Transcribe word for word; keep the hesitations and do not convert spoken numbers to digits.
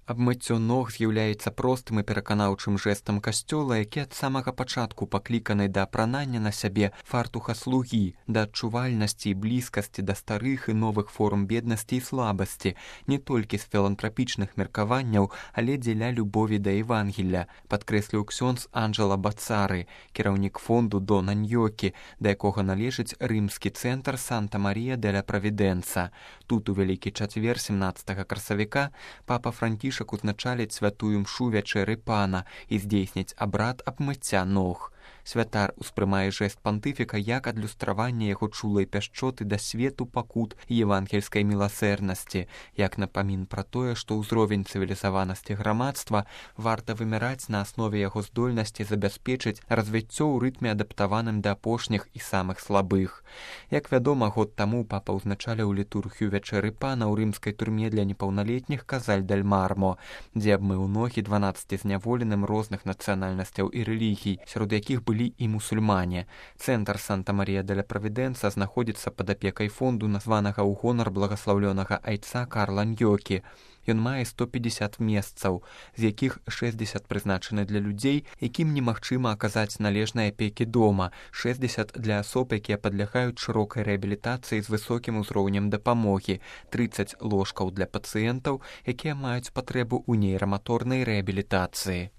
Абмыццё ног з'яўляецца простым і пераканаўчым жэстам касцёла, які ад самага пачатку пакліканы да апранання на сябе фартуха слугі, да адчувальнасці і блізкасці да старых і новых форм беднасці і слабасці, не толькі з філантрапічных меркаванняў, але дзеля любові да Евангелля, падкрэсліў ксёндз Анджела Бацары, кіраўнік фонду Дона Ньёкі, да якога належыць рымскі цэнтр Санта-Марія деля Правідэнца. Тут у Вялікі чацвер сямнаццатага красавіка папа Францішак узначаліць святую мшу вячэры пана і здзейсніць абрад абмыцця ног. Святар успрымае жэст пантыфіка як адлюстраванне яго чулай пяшчоты да свету пакут і евангельскай міласэрнасці, як напамін пра тое, што ўзровень цывілізаванасці грамадства варта вымяраць на аснове яго здольнасці забяспечыць развіццё ў рытме адаптаваным да апошніх і самых слабых. Як вядома, год таму папа ўзначаліў літургію вячэры пана ў рымскай турме для непаўналетніх Казаль-дель-Мармо, дзе абмыў ногі дванаццаці зняволеным розных нацыянальнасцяў і рэлігій, сярод якіх былі і мусульмане. Цэнтр Санта-Марія деля Правідэнца знаходзіцца пад апекай фонду, названага ў гонар благаслаўлёнага айца Карла Ньёкі. Ён мае сто пятьдесят месцаў, з якіх шэсцьдзесят прызначаны для людзей, якім немагчыма аказаць належнай апекі дома, шэсцьдзесят для асоб, якія падлягаюць шырокай рэабілітацыі з высокім узроўнем дапамогі, трыццаць ложкаў для пацыентаў, якія маюць патрэбу ў нейраматорнай рэабілітацыі.